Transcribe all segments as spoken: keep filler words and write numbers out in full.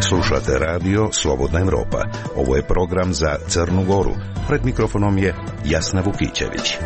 Slušate radio Slobodna Evropa. Ovo je program za Crnu Goru. Pred mikrofonom je Jasna Vukićević.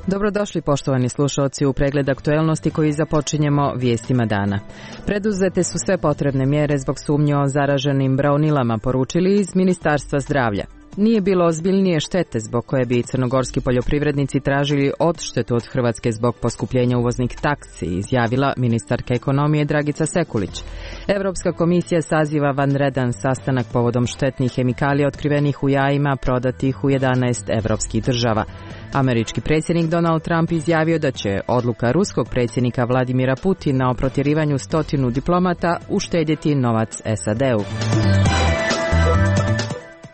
Dobrodošli poštovani slušalci u pregled aktuelnosti koji započinjemo vijestima dana. Preduzete su sve potrebne mjere zbog sumnje o zaraženim braunilama, poručili iz Ministarstva zdravlja. Nije bilo ozbiljnije štete zbog koje bi crnogorski poljoprivrednici tražili odštetu od Hrvatske zbog poskupljenja uvoznih taksi, izjavila ministarka ekonomije Dragica Sekulić. Europska komisija saziva vanredan sastanak povodom štetnih hemikalija otkrivenih u jajima prodatih u jedanaest evropskih država. Američki predsjednik Donald Trump izjavio da će odluka ruskog predsjednika Vladimira Putina o protjerivanju stotinu diplomata uštedjeti novac S A D-u.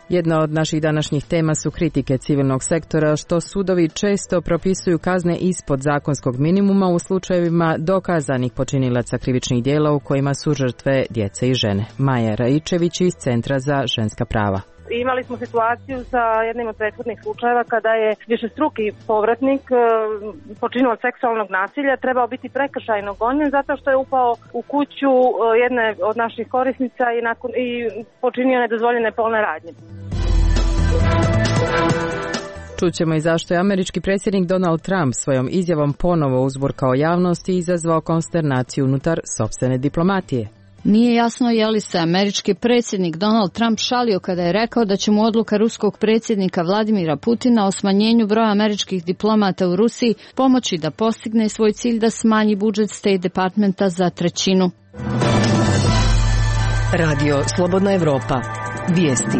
Jedna od naših današnjih tema su kritike civilnog sektora što sudovi često propisuju kazne ispod zakonskog minimuma u slučajevima dokazanih počinilaca krivičnih djela u kojima su žrtve djece i žene. Maja Raičević iz Centra za ženska prava. Imali smo situaciju sa jednim od prethodnih slučajeva kada je višestruki povratnik počinio seksualnog nasilja trebao biti prekršajno gonjen zato što je upao u kuću jedne od naših korisnica i, nakon, i počinio nedozvoljene polne radnje. Čućemo i zašto je američki predsjednik Donald Trump svojom izjavom ponovo uzburkao javnost i izazvao konsternaciju unutar sopstvene diplomatije. Nije jasno je li se američki predsjednik Donald Trump šalio kada je rekao da će mu odluka ruskog predsjednika Vladimira Putina o smanjenju broja američkih diplomata u Rusiji pomoći da postigne svoj cilj da smanji budžet State Departmenta za trećinu. Radio Slobodna Evropa. Vijesti.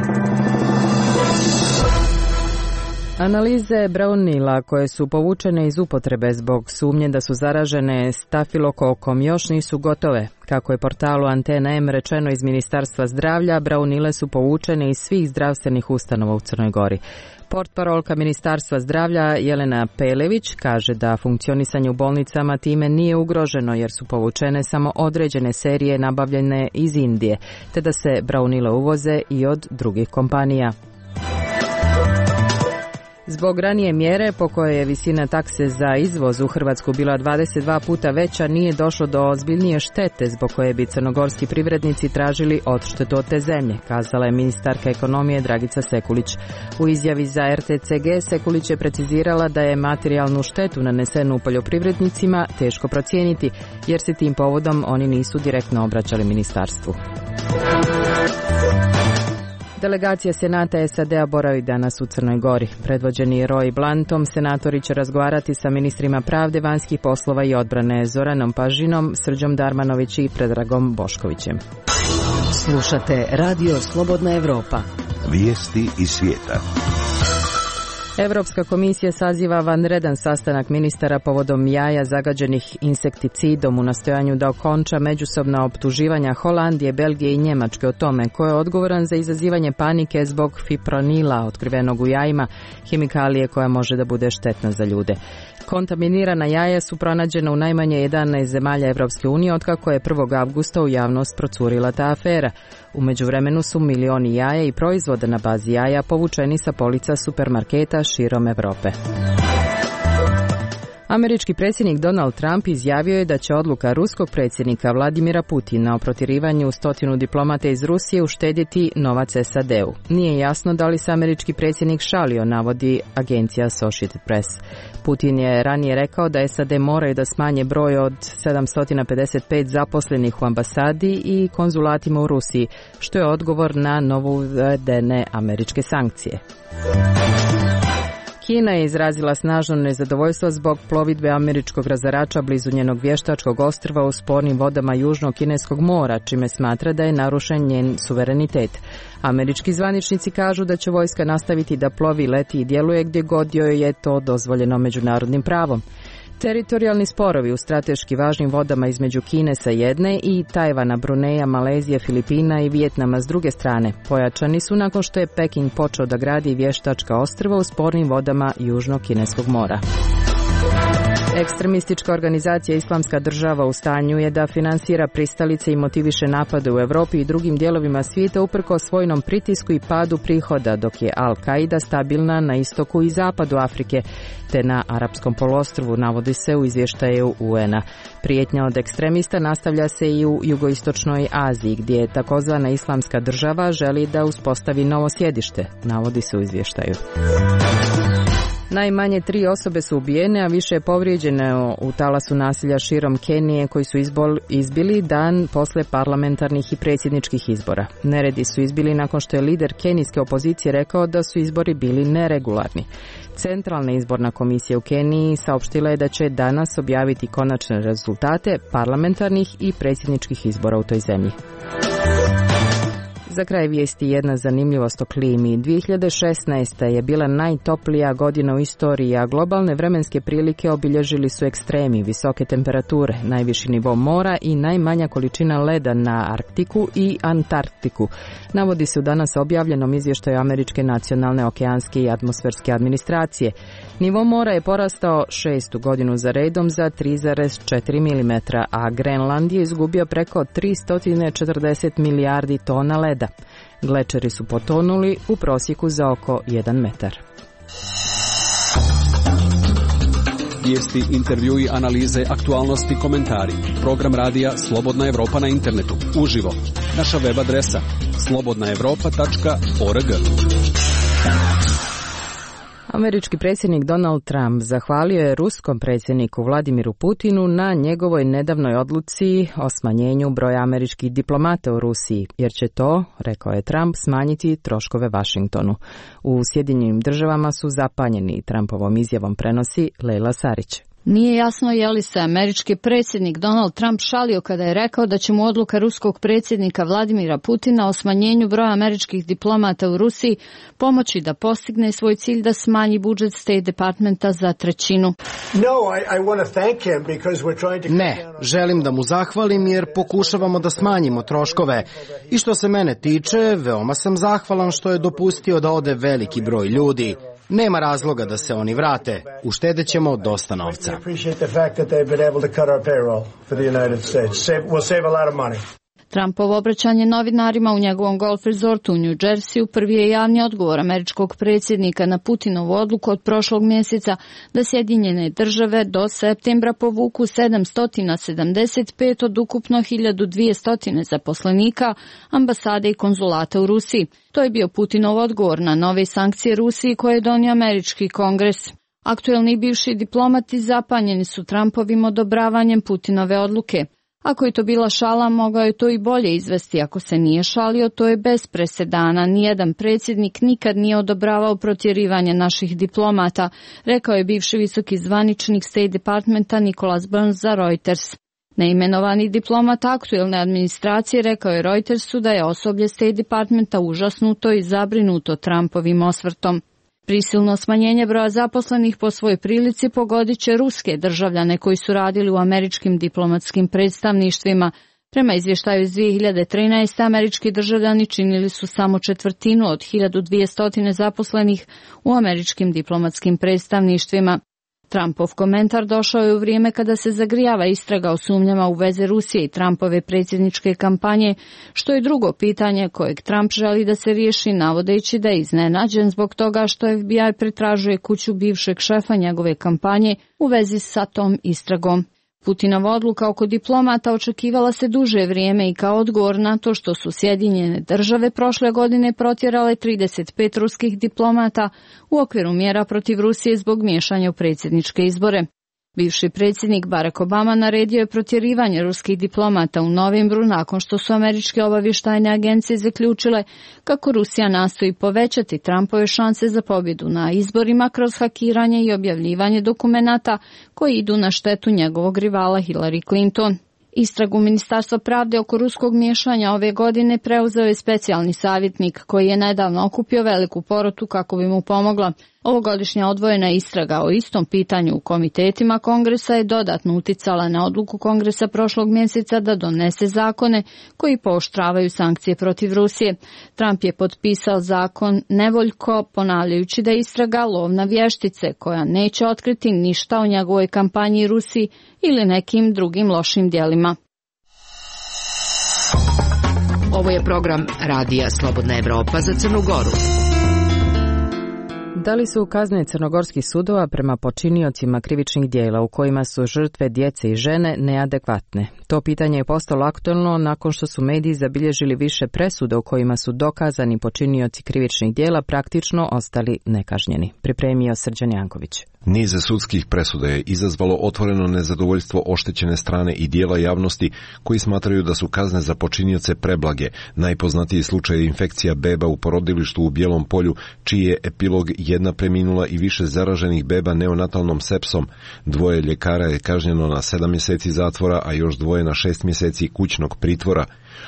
Analize braunila koje su povučene iz upotrebe zbog sumnje da su zaražene stafilokokom još nisu gotove. Kako je portalu Antena M rečeno iz Ministarstva zdravlja, braunile su povučene iz svih zdravstvenih ustanova u Crnoj Gori. Portparolka Ministarstva zdravlja Jelena Pelević kaže da funkcionisanje u bolnicama time nije ugroženo jer su povučene samo određene serije nabavljene iz Indije, te da se braunile uvoze i od drugih kompanija. Zbog ranije mjere po kojoj je visina takse za izvoz u Hrvatsku bila dvadeset dva puta veća, nije došlo do ozbiljnije štete zbog koje bi crnogorski privrednici tražili odštetu od te zemlje, kazala je ministarka ekonomije Dragica Sekulić. U izjavi za R T C G Sekulić je precizirala da je materijalnu štetu nanesenu poljoprivrednicima teško procijeniti, jer se tim povodom oni nisu direktno obraćali ministarstvu. Delegacija Senata S A D-a boravi danas u Crnoj Gori. Predvođeni Roy Blantom, senatori će razgovarati sa ministrima pravde, vanjskih poslova i odbrane Zoranom Pažinom, Srđom Darmanović i Predragom Boškovićem. Slušate Radio Slobodna Evropa. Vijesti iz svijeta. Europska komisija saziva vanredan sastanak ministara povodom jaja zagađenih insekticidom u nastojanju da okonča međusobna optuživanja Holandije, Belgije i Njemačke o tome ko je odgovoran za izazivanje panike zbog fipronila otkrivenog u jajima, hemikalije koja može da bude štetna za ljude. Kontaminirana jaja su pronađena u najmanje jedanaest zemalja Evropske unije otkako je prvog avgusta u javnost procurila ta afera. U međuvremenu su milioni jaja i proizvoda na bazi jaja povučeni sa polica supermarketa širom Evrope. Američki predsjednik Donald Trump izjavio je da će odluka ruskog predsjednika Vladimira Putina o protjerivanju stotinu diplomata iz Rusije uštedjeti novac S A D-u. Nije jasno da li se američki predsjednik šalio, navodi agencija Associated Press. Putin je ranije rekao da S A D moraju da smanje broj od sedamsto pedeset pet zaposlenih u ambasadi i konzulatima u Rusiji, što je odgovor na novo uvedene američke sankcije. Kina je izrazila snažno nezadovoljstvo zbog plovidbe američkog razarača blizu njenog vještačkog ostrva u spornim vodama Južnog kineskog mora, čime smatra da je narušen njen suverenitet. Američki zvaničnici kažu da će vojska nastaviti da plovi, leti i djeluje gdje god joj je to dozvoljeno međunarodnim pravom. Teritorijalni sporovi u strateški važnim vodama između Kine sa jedne i Tajvana, Bruneja, Malezije, Filipina i Vijetnama s druge strane pojačani su nakon što je Peking počeo da gradi vještačka ostrva u spornim vodama Južnog kineskog mora. Ekstremistička organizacija Islamska država u stanju je da finansira pristalice i motiviše napade u Evropi i drugim dijelovima svijeta uprkos vojnom pritisku i padu prihoda, dok je Al-Qaida stabilna na istoku i zapadu Afrike, te na Arapskom poluostrvu, navodi se u izvještaju U N-a. Prijetnja od ekstremista nastavlja se i u jugoistočnoj Aziji, gdje je takozvana Islamska država želi da uspostavi novo sjedište, navodi se u izvještaju. Najmanje tri osobe su ubijene, a više je povrijeđene u talasu nasilja širom Kenije koji su izbol, izbili dan posle parlamentarnih i predsjedničkih izbora. Neredi su izbili nakon što je lider kenijske opozicije rekao da su izbori bili neregularni. Centralna izborna komisija u Keniji saopštila je da će danas objaviti konačne rezultate parlamentarnih i predsjedničkih izbora u toj zemlji. Za kraj vijesti jedna zanimljivost o klimi. dvije hiljade šesnaesta. je bila najtoplija godina u istoriji, a globalne vremenske prilike obilježili su ekstremi, visoke temperature, najviši nivo mora i najmanja količina leda na Arktiku i Antarktiku. Navodi se u danas objavljenom izvještaju Američke nacionalne okeanske i atmosferske administracije. Nivo mora je porastao šestu godinu za redom za tri zarez četiri milimetra, a Grenland je izgubio preko tristo četrdeset milijardi tona leda. Glečeri su potonuli u prosjeku za oko jedan metar. Vijesti, intervjui, analize, aktualnosti, komentari. Program radija Slobodna Evropa na internetu. Uživo. Naša web adresa slobodna evropa tačka org. Američki predsjednik Donald Trump zahvalio je ruskom predsjedniku Vladimiru Putinu na njegovoj nedavnoj odluci o smanjenju broja američkih diplomata u Rusiji, jer će to, rekao je Trump, smanjiti troškove Vašingtonu. U Sjedinjenim državama su zapanjeni Trumpovom izjavom, prenosi Lejla Sarić. Nije jasno je li se američki predsjednik Donald Trump šalio kada je rekao da će mu odluka ruskog predsjednika Vladimira Putina o smanjenju broja američkih diplomata u Rusiji pomoći da postigne svoj cilj da smanji budžet State Departmenta za trećinu. Ne, želim da mu zahvalim jer pokušavamo da smanjimo troškove. I što se mene tiče, veoma sam zahvalan što je dopustio da ode veliki broj ljudi. Nema razloga da se oni vrate. Uštedećemo dosta novca. Trumpovo obraćanje novinarima u njegovom golf resortu u New Jerseyu prvi je javni odgovor američkog predsjednika na Putinovu odluku od prošlog mjeseca da Sjedinjene države do septembra povuku sedamsto sedamdeset pet od ukupno hiljadu dvjesto zaposlenika, ambasade i konzulata u Rusiji. To je bio Putinov odgovor na nove sankcije Rusiji koje je donio američki kongres. Aktuelni i bivši diplomati zapanjeni su Trumpovim odobravanjem Putinove odluke. Ako je to bila šala, mogao je to i bolje izvesti. Ako se nije šalio, to je bez presedana. Nijedan predsjednik nikad nije odobravao protjerivanje naših diplomata, rekao je bivši visoki zvaničnik State Departmenta Nicholas Burns za Reuters. Neimenovani diplomat aktuelne administracije rekao je Reutersu da je osoblje State Departmenta užasnuto i zabrinuto Trumpovim osvrtom. Prisilno smanjenje broja zaposlenih po svojoj prilici pogodit će ruske državljane koji su radili u američkim diplomatskim predstavništvima. Prema izvještaju iz dvije hiljade trinaeste. američki državljani činili su samo četvrtinu od hiljadu dvjesto zaposlenih u američkim diplomatskim predstavništvima. Trumpov komentar došao je u vrijeme kada se zagrijava istraga o sumnjama u veze Rusije i Trumpove predsjedničke kampanje, što je drugo pitanje kojeg Trump želi da se riješi, navodeći da je iznenađen zbog toga što F B I pretražuje kuću bivšeg šefa njegove kampanje u vezi sa tom istragom. Putinova odluka oko diplomata očekivala se duže vrijeme i kao odgovor na to što su Sjedinjene države prošle godine protjerale trideset pet ruskih diplomata u okviru mjera protiv Rusije zbog miješanja u predsjedničke izbore. Bivši predsjednik Barack Obama naredio je protjerivanje ruskih diplomata u novembru nakon što su američke obavještajne agencije zaključile kako Rusija nastoji povećati Trumpove šanse za pobjedu na izborima kroz hakiranje i objavljivanje dokumenata koji idu na štetu njegovog rivala Hillary Clinton. Istragu Ministarstva pravde oko ruskog miješanja ove godine preuzeo je specijalni savjetnik koji je nedavno okupio veliku porotu kako bi mu pomogla. Ovogodišnja odvojena istraga o istom pitanju u komitetima Kongresa je dodatno uticala na odluku Kongresa prošlog mjeseca da donese zakone koji pooštravaju sankcije protiv Rusije. Trump je potpisao zakon nevoljko, ponavljajući da je istraga lov na vještice koja neće otkriti ništa o njegovoj kampanji Rusiji ili nekim drugim lošim djelima. Ovo je program Radija Slobodna Evropa za Crnu Goru. Da li su kazne crnogorskih sudova prema počiniocima krivičnih djela u kojima su žrtve djece i žene neadekvatne? To pitanje je postalo aktualno nakon što su mediji zabilježili više presuda u kojima su dokazani počinioci krivičnih djela praktično ostali nekažnjeni. Pripremio Srđan Janković. Niz sudskih presuda je izazvalo otvoreno nezadovoljstvo oštećene strane i dijela javnosti koji smatraju da su kazne za počinioce preblage. Najpoznatiji slučaj je infekcija beba u porodilištu u Bijelom Polju, čiji je epilog jedna preminula i više zaraženih beba neonatalnom sepsom. Dvoje ljekara je kažnjeno na sedam mjeseci zatvora, a još dvoje na šest mjeseci kućnog pritvora.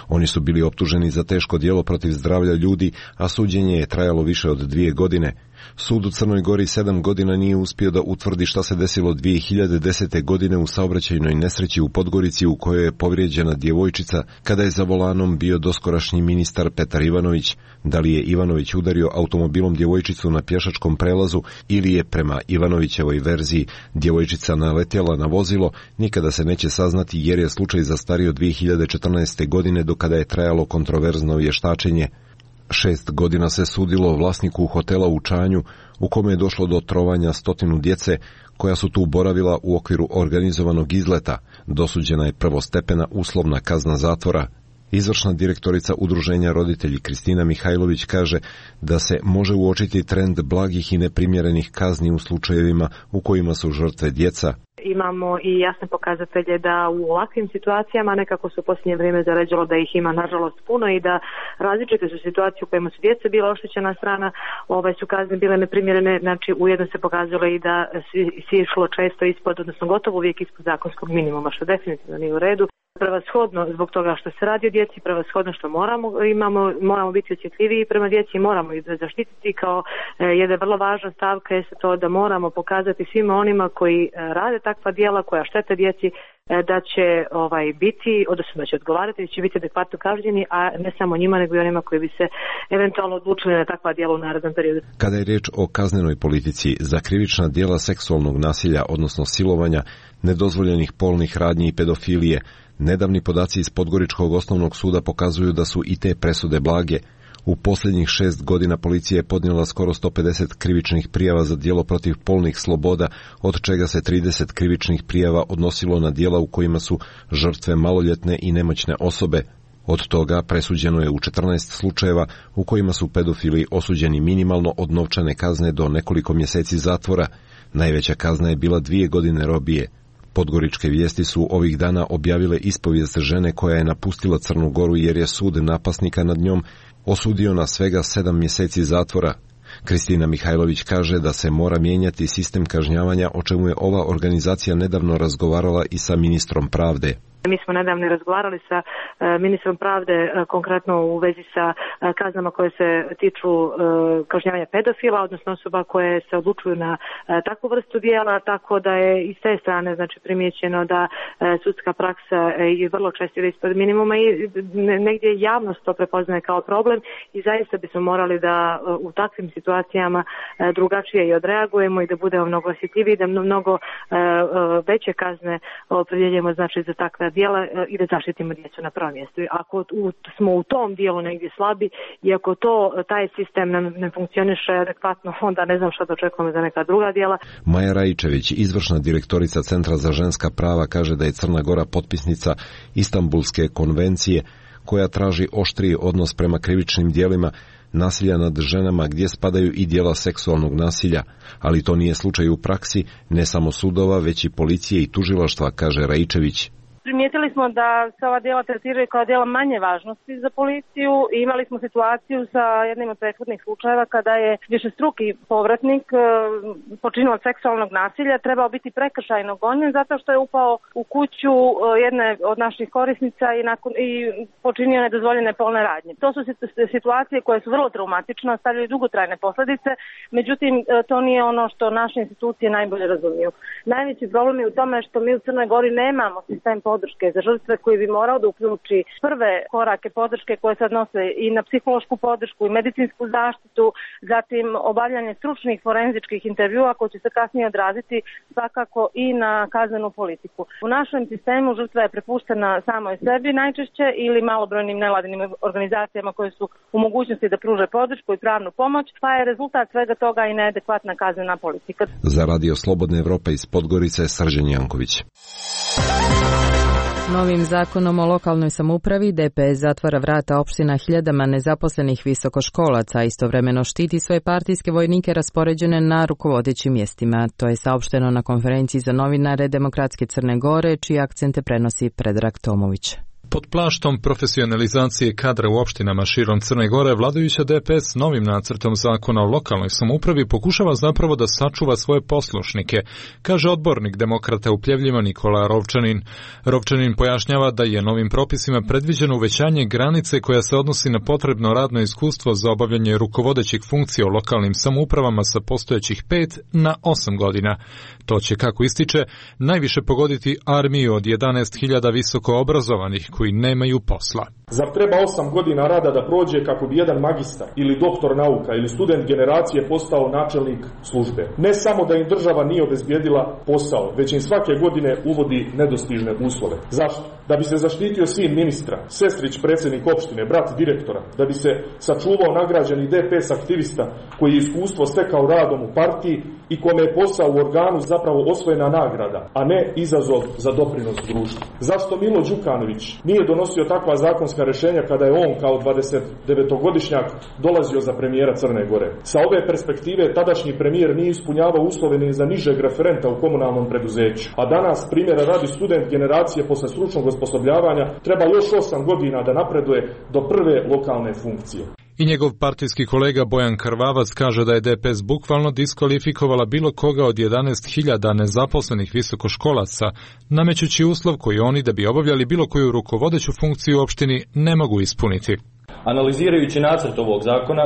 Oni su bili optuženi za teško djelo protiv zdravlja ljudi, a suđenje je trajalo više od dvije godine. Sud u Crnoj Gori sedam godina nije uspio da utvrdi šta se desilo dvije hiljade desete. godine u saobraćajnoj nesreći u Podgorici u kojoj je povrijeđena djevojčica kada je za volanom bio doskorašnji ministar Petar Ivanović. Da li je Ivanović udario automobilom djevojčicu na pješačkom prelazu ili je prema Ivanovićevoj verziji djevojčica naletjela na vozilo, nikada se neće saznati jer je slučaj zastario dvije hiljade četrnaeste. godine do kada je trajalo kontroverzno vještačenje. Šest godina se sudilo vlasniku hotela u Čanju u kome je došlo do trovanja stotinu djece koja su tu boravila u okviru organizovanog izleta. Dosuđena je prvostepena uslovna kazna zatvora. Izvršna direktorica udruženja Roditelji Kristina Mihajlović kaže da se može uočiti trend blagih i neprimjerenih kazni u slučajevima u kojima su žrtve djeca. Imamo i jasne pokazatelje da u ovakvim situacijama nekako se u posljednje vrijeme zaređalo da ih ima nažalost puno i da različite su situacije u kojima su djeca bila oštećena strana, ovaj su kazne bile neprimjerene, znači ujedno se pokazalo i da si išlo često ispod, odnosno gotovo uvijek ispod zakonskog minimuma, što definitivno nije u redu. Prevashodno zbog toga što se radi o djeci, prevashodno što moramo, imamo, moramo biti osjetljiviji prema djeci i moramo ih zaštititi kao e, jedna vrlo važna stavka je to da moramo pokazati svima onima koji e, rade takva djela koja štete djeci e, da će ovaj biti, odnosno da će odgovarati, da će biti adekvatno kažnjeni, a ne samo njima nego i onima koji bi se eventualno odlučili na takva djela u narednom periodu. Kada je riječ o kaznenoj politici, za krivična djela seksualnog nasilja, odnosno silovanja, nedozvoljenih polnih radnji i pedofilije, nedavni podaci iz Podgoričkog osnovnog suda pokazuju da su i te presude blage. U posljednjih šest godina policija je podnijela skoro sto pedeset krivičnih prijava za djelo protiv polnih sloboda, od čega se trideset krivičnih prijava odnosilo na djela u kojima su žrtve maloljetne i nemoćne osobe. Od toga presuđeno je u četrnaest slučajeva u kojima su pedofili osuđeni minimalno od novčane kazne do nekoliko mjeseci zatvora. Najveća kazna je bila dvije godine robije. Podgoričke vijesti su ovih dana objavile ispovijest žene koja je napustila Crnu Goru jer je sud napasnika nad njom osudio na svega sedam mjeseci zatvora. Kristina Mihajlović kaže da se mora mijenjati sistem kažnjavanja, o čemu je ova organizacija nedavno razgovarala i sa ministrom pravde. Mi smo nedavno razgovarali sa e, ministrom pravde e, konkretno u vezi sa e, kaznama koje se tiču e, kažnjavanja pedofila, odnosno osoba koje se odlučuju na e, takvu vrstu djela, tako da je i s te strane znači primjećeno da e, sudska praksa e, je vrlo često ispod minimuma i ne, negdje javnost to prepoznaje kao problem i zaista bismo morali da e, u takvim situacijama e, drugačije i odreagujemo i da budemo mnogo osjetljiviji, da mnogo e, e, veće kazne opredjeljujemo znači za takve djela i da zaštitimo djecu na prvom mjestu. Ako u, smo u tom dijelu negdje slabi i ako to, taj sistem ne, ne funkcioniše adekvatno, onda ne znam što da očekujemo za neka druga djela. Maja Rajičević, izvršna direktorica Centra za ženska prava, kaže da je Crna Gora potpisnica Istanbulske konvencije koja traži oštriji odnos prema krivičnim djelima nasilja nad ženama gdje spadaju i djela seksualnog nasilja, ali to nije slučaj u praksi, ne samo sudova, već i policije i tužilaštva, kaže Rajičević. Primijetili smo da se ova djela tretiraju kao djela manje važnosti za policiju i imali smo situaciju sa jednim od prethodnih slučajeva kada je višestruki povratnik počinilac seksualnog nasilja trebao biti prekršajno gonjen zato što je upao u kuću jedne od naših korisnica i, nakon, i počinio nedozvoljene polne radnje. To su situacije koje su vrlo traumatične, ostavljaju dugotrajne posljedice, međutim to nije ono što naše institucije najbolje razumiju. Najveći problem je u tome što mi u Crnoj Gori nemamo sistem podrške za žrtve koji bi morao da uključi prve korake podrške koje se odnose i na psihološku podršku i medicinsku zaštitu, zatim obavljanje stručnih forenzičkih intervjua koji će se kasnije odraziti svakako i na kaznenu politiku. U našem sistemu žrtva je prepuštena samoj sebi najčešće ili malobrojnim nevladinim organizacijama koje su u mogućnosti da pruže podršku i pravnu pomoć, pa je rezultat svega toga i neadekvatna kaznena politika. Za Radio Slobodna Evropa iz Podgorice, Srđan Janković. Novim zakonom o lokalnoj samoupravi D P S zatvara vrata opština hiljadama nezaposlenih visokoškolaca, a istovremeno štiti svoje partijske vojnike raspoređene na rukovodećim mjestima. To je saopšteno na konferenciji za novinare Demokratske Crne Gore, čije akcente prenosi Predrag Tomović. Pod plaštom profesionalizacije kadra u opštinama širom Crne Gore, vladajuća D P S novim nacrtom zakona o lokalnoj samoupravi pokušava zapravo da sačuva svoje poslušnike, kaže odbornik demokrata u Pljevljima Nikola Rovčanin. Rovčanin pojašnjava da je novim propisima predviđeno uvećanje granice koja se odnosi na potrebno radno iskustvo za obavljanje rukovodećih funkcija u lokalnim samoupravama sa postojećih pet na osam godina. To će, kako ističe, najviše pogoditi armiju od jedanaest hiljada visoko obrazovanih koji nemaju posla. Zar treba osam godina rada da prođe kako bi jedan magistar ili doktor nauka ili student generacije postao načelnik službe? Ne samo da im država nije obezbijedila posao, već im svake godine uvodi nedostižne uslove. Zašto? Da bi se zaštitio sin ministra, sestrić predsjednik opštine, brat direktora, da bi se sačuvao nagrađeni D P S aktivista koji je iskustvo stekao radom u partiji i kome je posao u organu zapravo osvojena nagrada, a ne izazov za doprinos društvu. Zašto Milo Đukanović nije donosio takva zakonska rješenja kada je on kao dvadesetdevetogodišnjak dolazio za premijera Crne Gore? Sa ove perspektive tadašnji premijer nije ispunjavao uslove ni za nižeg referenta u komunalnom preduzeću. A danas, primjera radi, student generacije posle stručnog osposobljavanja treba još osam godina da napreduje do prve lokalne funkcije. I njegov partijski kolega Bojan Karvavac kaže da je D P S bukvalno diskvalifikovala bilo koga od jedanaest hiljada nezaposlenih visokoškolaca, namećući uslov koji oni, da bi obavljali bilo koju rukovodeću funkciju u opštini, ne mogu ispuniti. Analizirajući nacrt ovog zakona,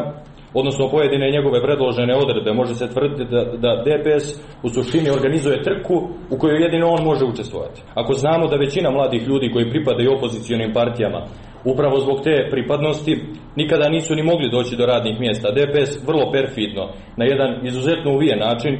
odnosno pojedine njegove predložene odredbe, može se tvrditi da, da D P S u suštini organizuje trku u kojoj jedino on može učestvovati. Ako znamo da većina mladih ljudi koji pripadaju opozicionim partijama upravo zbog te pripadnosti nikada nisu ni mogli doći do radnih mjesta, D P S vrlo perfidno, na jedan izuzetno uvijen način,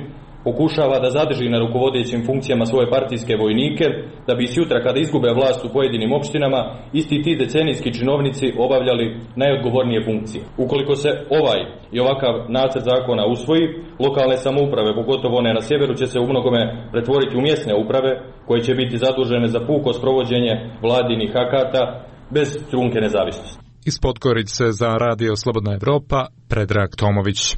pokušava da zadrži na rukovodećim funkcijama svoje partijske vojnike, da bi sutra kada izgube vlast u pojedinim opštinama, isti ti decenijski činovnici obavljali najodgovornije funkcije. Ukoliko se ovaj i ovakav nacrt zakona usvoji, lokalne samouprave, pogotovo one na sjeveru, će se u mnogome pretvoriti u mjesne uprave, koje će biti zadužene za puko sprovođenje vladinih akata bez trunke nezavisnosti. Iz Podgorice za Radio Slobodna Evropa, Predrag Tomović.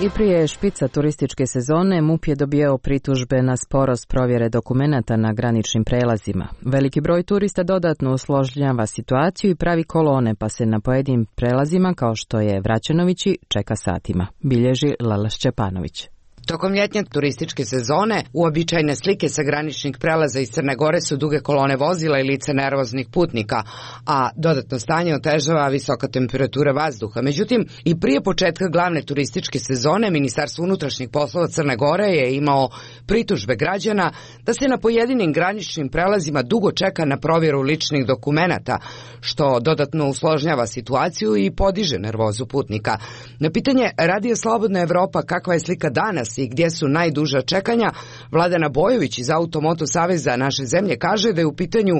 I prije špica turističke sezone MUP je dobijao pritužbe na sporost provjere dokumenata na graničnim prelazima. Veliki broj turista dodatno usložnjava situaciju i pravi kolone, pa se na pojedinim prelazima, kao što je Vraćenovići, čeka satima, bilježi Lala Šćepanović. Tokom ljetnje turističke sezone uobičajene slike sa graničnih prelaza iz Crne Gore su duge kolone vozila i lice nervoznih putnika, a dodatno stanje otežava visoka temperatura vazduha. Međutim, i prije početka glavne turističke sezone Ministarstvo unutrašnjih poslova Crne Gore je imao pritužbe građana da se na pojedinim graničnim prelazima dugo čeka na provjeru ličnih dokumenata, što dodatno usložnjava situaciju i podiže nervozu putnika. Na pitanje Radio Slobodna Evropa kakva je slika danas i gdje su najduža čekanja, Vladana Bojović iz Automoto Saveza naše zemlje kaže da je u pitanju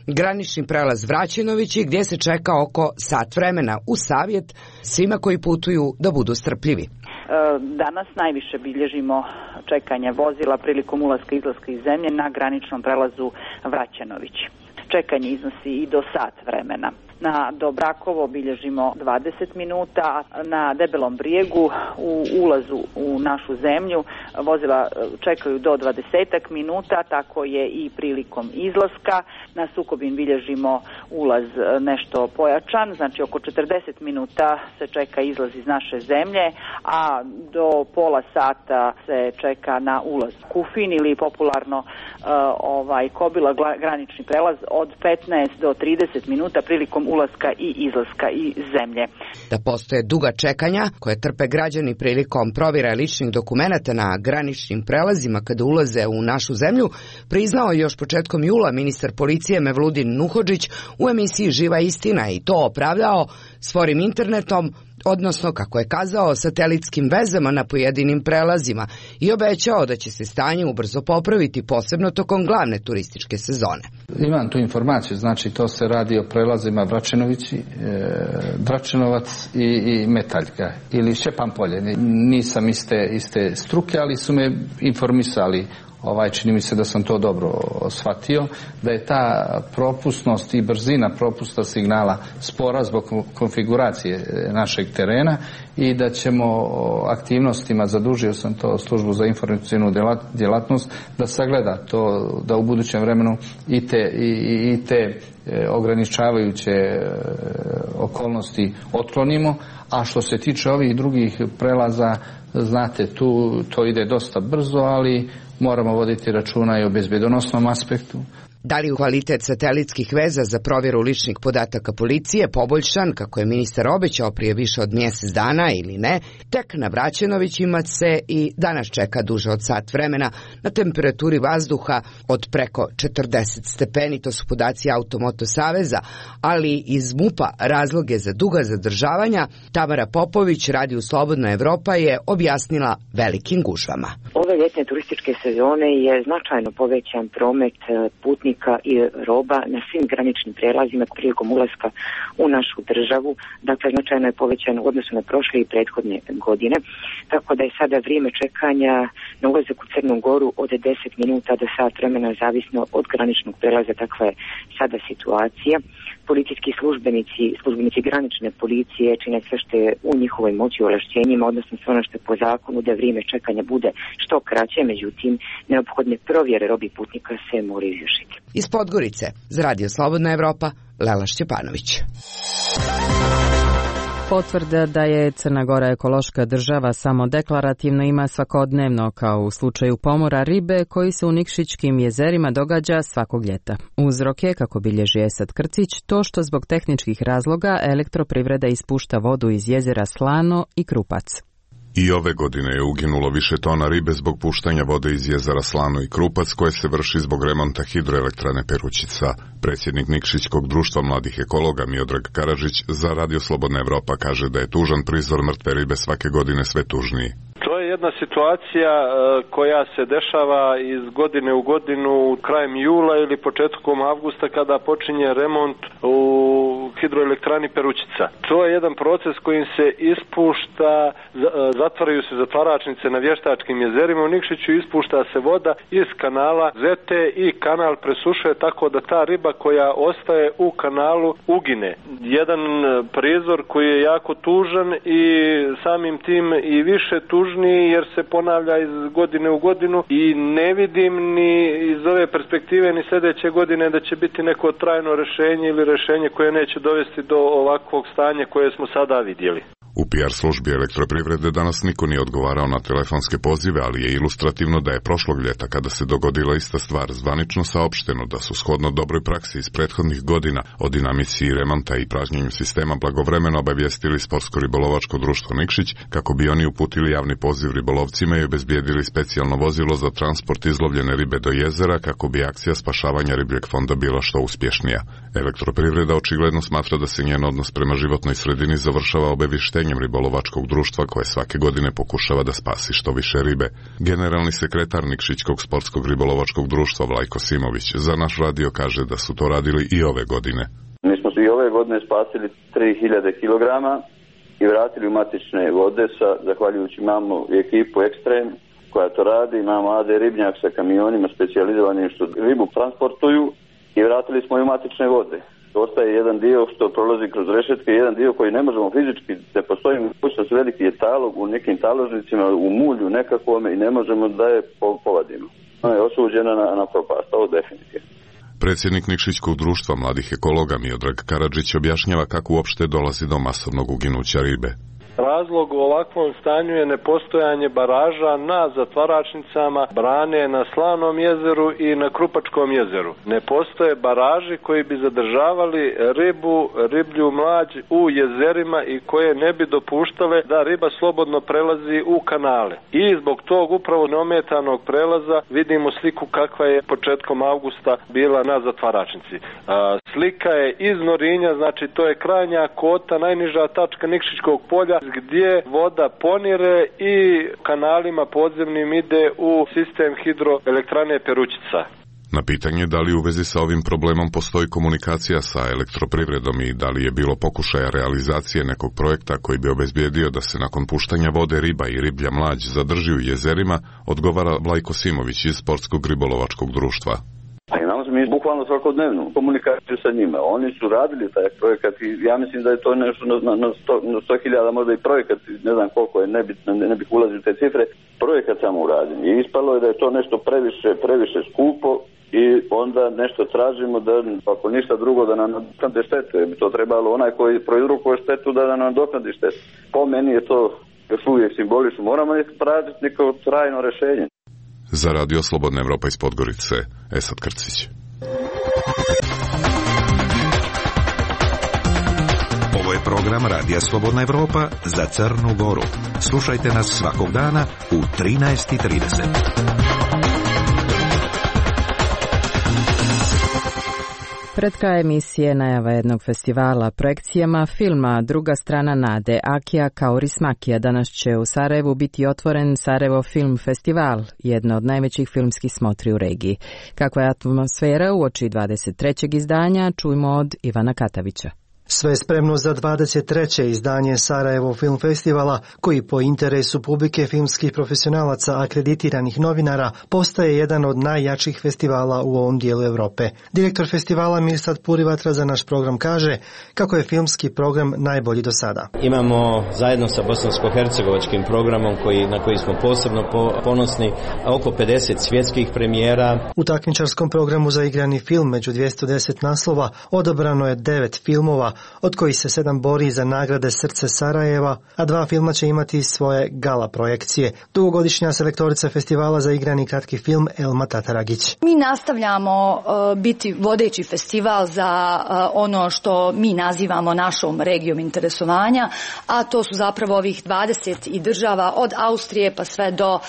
granični prelaz Vraćenovići gdje se čeka oko sat vremena, uz savjet svima koji putuju da budu strpljivi. Danas najviše bilježimo čekanje vozila prilikom ulaska i izlaska iz zemlje na graničnom prelazu Vraćenović. Čekanje iznosi i do sat vremena. Na Dobrakovo bilježimo dvadeset minuta, a na Debelom brijegu u ulazu u našu zemlju vozila čekaju do dvadesetak minuta, tako je i prilikom izlaska. Na Sukobin bilježimo ulaz nešto pojačan, znači oko četrdeset minuta se čeka izlaz iz naše zemlje, a do pola sata se čeka na ulaz. Kufin ili popularno uh, ovaj Kobila granični prelaz od petnaest do trideset minuta prilikom ulaska i izlaska iz zemlje. Da postoje duga čekanja koje trpe građani prilikom provjera ličnih dokumenata na graničnim prelazima kada ulaze u našu zemlju, priznao je još početkom jula ministar policije Mevludin Nuhodžić u emisiji Živa istina i to opravdao sporim internetom, odnosno, kako je kazao, satelitskim vezama na pojedinim prelazima i obećao da će se stanje ubrzo popraviti, posebno tokom glavne turističke sezone. Imam tu informaciju, znači to se radi o prelazima Vračenovići, e, Dračenovac i, i Metaljka ili Šćepan Polje. Nisam iste, iste struke, ali su me informisali. Ovaj, čini mi se da sam to dobro shvatio, da je ta propusnost i brzina propusta signala spora zbog konfiguracije našeg terena i da ćemo aktivnostima, zadužio sam to službu za informacijnu djelatnost, da sagleda to, da u budućem vremenu i te, i, i te ograničavajuće okolnosti otklonimo, a što se tiče ovih drugih prelaza, znate, tu to ide dosta brzo, ali moramo voditi računa i o bezbjedonosnom aspektu. Da li je kvalitet satelitskih veza za provjeru ličnih podataka policije poboljšan, kako je ministar obećao prije više od mjesec dana ili ne, tek na Vraćenovićima se i danas čeka duže od sat vremena na temperaturi vazduha od preko četrdeset stepeni, to su podaci Automoto Saveza, ali iz MUP-a razloge za duga zadržavanja Tamara Popović, Radio Slobodna Evropa, je objasnila velikim gužvama. Ove ljetne turističke sezone je značajno povećan promet putnika i roba na svim graničnim prijelazima prilikom ulaska u našu državu. Dakle, značajno je povećan u odnosu na prošle i prethodne godine. Tako da je sada vrijeme čekanja na ulazak u Crnu Goru od deset minuta do sat vremena, zavisno od graničnog prijelaza. Takva je sada situacija. Policijski službenici, službenici granične policije čine sve što je u njihovoj moći i ovlašćenjima, odnosno sve ono što je po zakonu, da vrijeme čekanja bude što kraće, međutim, neophodne provjere robi putnika se moraju izvršiti. Iz Podgorice, za Radio Slobodna Evropa, Lela Šćepanović. Potvrda da je Crna Gora ekološka država samo deklarativno ima svakodnevno, kao u slučaju pomora ribe koji se u Nikšićkim jezerima događa svakog ljeta. Uzrok je, kako bilježi Esad Krcić, to što zbog tehničkih razloga elektroprivreda ispušta vodu iz jezera Slano i Krupac. I ove godine je uginulo više tona ribe zbog puštanja vode iz jezera Slano i Krupac, koje se vrši zbog remonta hidroelektrane Perućica. Predsjednik Nikšićkog društva mladih ekologa Miodrag Karadžić za Radio Slobodna Evropa kaže da je tužan prizor mrtve ribe svake godine sve tužniji. To je jedna situacija koja se dešava iz godine u godinu krajem jula ili početkom avgusta kada počinje remont u hidroelektrani Perućica. To je jedan proces kojim se ispušta, zatvaraju se zatvaračnice na Vještačkim jezerima u Nikšiću, ispušta se voda iz kanala Zete i kanal presušuje tako da ta riba koja ostaje u kanalu ugine. Jedan prizor koji je jako tužan i samim tim i više tužan jer se ponavlja iz godine u godinu i ne vidim ni iz ove perspektive ni sljedeće godine da će biti neko trajno rješenje ili rješenje koje neće dovesti do ovakvog stanja koje smo sada vidjeli. U P R službi elektroprivrede danas niko nije odgovarao na telefonske pozive, ali je ilustrativno da je prošlog ljeta, kada se dogodila ista stvar, zvanično saopšteno da su shodno dobroj praksi iz prethodnih godina o dinamici remonta i pražnjenju sistema blagovremeno obavijestili Sportsko-ribolovačko društvo Nikšić kako bi oni uputili javni poziv ribolovcima i obezbijedili specijalno vozilo za transport izlovljene ribe do jezera kako bi akcija spašavanja ribljeg fonda bila što uspješnija. Elektroprivreda očigledno smatra da se njen odnos prema životnoj sredini završava obavještenjem ribolovačkog društva koje svake godine pokušava da spasi što više ribe. Generalni sekretar Nikšićkog sportskog ribolovačkog društva Vlajko Simović za naš radio kaže da su to radili i ove godine. Mi smo i ove godine spasili tri hiljade kilograma i vratili u matične vode sa, zahvaljujući imamo ekipu Ekstrem koja to radi, imamo A D ribnjak sa kamionima specijalizovanim što ribu transportuju i vratili smo i u matične vode. ostaje jedan dio što prolazi kroz rešetke, jedan dio koji ne možemo fizički, ne postoji mogućnost, veliki je talog u nekim taložnicima, u mulju nekakvome i ne možemo da je povadimo. Ona je osuđena na, na propast, ovo definitivno. Predsjednik Nikšićkog društva mladih ekologa Miodrag Karadžić objašnjava kako uopšte dolazi do masovnog uginuća ribe. Razlog u ovakvom stanju je nepostojanje baraža na zatvaračnicama, brane na Slavnom jezeru i na Krupačkom jezeru. Ne postoje baraži koji bi zadržavali ribu, riblju mlađ u jezerima i koje ne bi dopuštale da riba slobodno prelazi u kanale. I zbog tog upravo neometanog prelaza vidimo sliku kakva je početkom avgusta bila na zatvaračnici. Slika je iz Norinja, znači to je krajnja kota, najniža tačka Nikšićkog polja, gdje voda ponire i kanalima podzemnim ide u sistem hidroelektrane Perućica. Na pitanje da li u vezi sa ovim problemom postoji komunikacija sa elektroprivredom i da li je bilo pokušaja realizacije nekog projekta koji bi obezbijedio da se nakon puštanja vode riba i riblja mlađ zadrži u jezerima, odgovara Vlajko Simović iz Sportskog ribolovačkog društva. Pa imamo mi bukvalno svakodnevnu komunikaciju sa njima. Oni su radili taj projekat i ja mislim da je to nešto na, na, na sto hiljada, možda i projekat, ne znam koliko je, nebitno, ne, ne bih ulazio u te cifre, projekat samo uradim. I ispalo je da je to nešto previše, previše skupo i onda nešto tražimo da, ako ništa drugo, da nam nadoknade štetu. Jer bi to trebalo onaj koji proizrukuje štetu da nam nadoknadi štetu. Po meni je to još uvijek simbolično. Moramo tražiti neko trajno rješenje. Za Radio Slobodna Evropa iz Podgorice, Esad Krcić. Ovo je program Radija Slobodna Evropa za Crnu Goru. Slušajte nas svakog dana u trinaest i trideset. Pred kraj emisije najava jednog festivala projekcijama filma Druga strana nade Akija Kaurismakija. Danas će u Sarajevu biti otvoren Sarajevo Film Festival, jedno od najvećih filmskih smotri u regiji. Kakva je atmosfera uoči dvadeset trećeg izdanja, čujmo od Ivana Katavića. Sve je spremno za dvadeset treće izdanje Sarajevo Film Festivala, koji po interesu publike filmskih profesionalaca akreditiranih novinara postaje jedan od najjačih festivala u ovom dijelu Europe. Direktor festivala Mirsad Purivatra za naš program kaže kako je filmski program najbolji do sada. Imamo zajedno sa bosansko-hercegovačkim programom koji, na koji smo posebno ponosni, oko pedeset svjetskih premijera. U takmičarskom programu za igrani film među dvjesto deset naslova odabrano je devet filmova, od kojih se sedam bori za nagrade Srce Sarajeva, a dva filma će imati svoje gala projekcije. Dugogodišnja selektorica festivala za igrani kratki film Elma Tataragić. Mi nastavljamo uh, biti vodeći festival za uh, ono što mi nazivamo našom regijom interesovanja, a to su zapravo ovih dvadeset i država od Austrije pa sve do uh,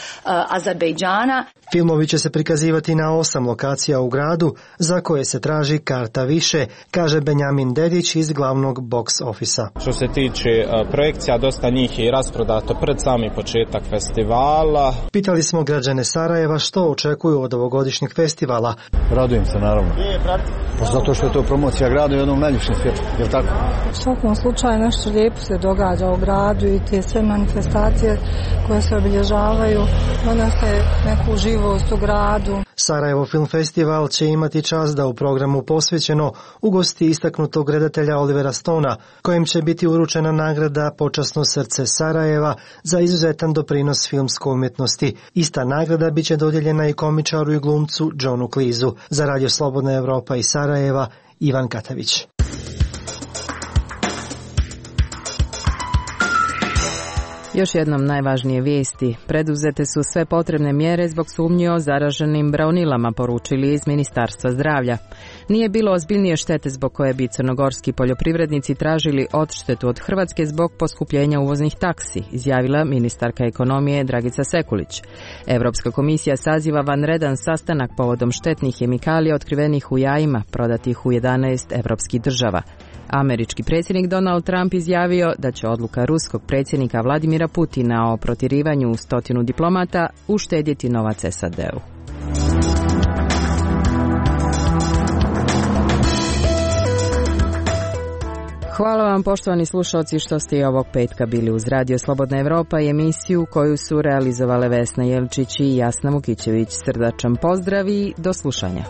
Azerbejdžana. Filmovi će se prikazivati na osam lokacija u gradu, za koje se traži karta više, kaže Benjamin Dedić iz glavnog box ofisa. Što se tiče uh, projekcija, dosta njih je i rasprodato pred sami početak festivala. Pitali smo građane Sarajeva što očekuju od ovogodišnjeg festivala. Radujem se, naravno. Pa zato što je to promocija grada u jednom najljepšem svijetu, je li tako? U svakom slučaju nešto lijepo se događa u gradu i te sve manifestacije koje se obilježavaju, donose neku živost u gradu. Sarajevo Film Festival će imati čast da u programu posvećeno ugosti istaknutog redatelja Olivera Stona, kojem će biti uručena nagrada Počasno srce Sarajeva za izuzetan doprinos filmskoj umjetnosti. Ista nagrada bit će dodijeljena i komičaru i glumcu Johnu Cleeseu. Za Radio Slobodna Evropa iz Sarajeva, Ivan Katavić. Još jednom najvažnije vijesti. Preduzete su sve potrebne mjere zbog sumnji o zaraženim braunilama, poručili iz Ministarstva zdravlja. Nije bilo ozbiljnije štete zbog koje bi crnogorski poljoprivrednici tražili odštetu od Hrvatske zbog poskupljenja uvoznih taksi, izjavila ministarka ekonomije Dragica Sekulić. Europska komisija saziva vanredan sastanak povodom štetnih hemikalija otkrivenih u jajima, prodatih u jedanaest evropskih država. Američki predsjednik Donald Trump izjavio da će odluka ruskog predsjednika Vladimira Putina o protjerivanju stotinu diplomata uštedjeti novac S A D-u. Hvala vam, poštovani slušalci, što ste i ovog petka bili uz Radio Slobodna Evropa i emisiju koju su realizovale Vesna Jelčić i Jasna Vukićević. Srdačan pozdrav i do slušanja.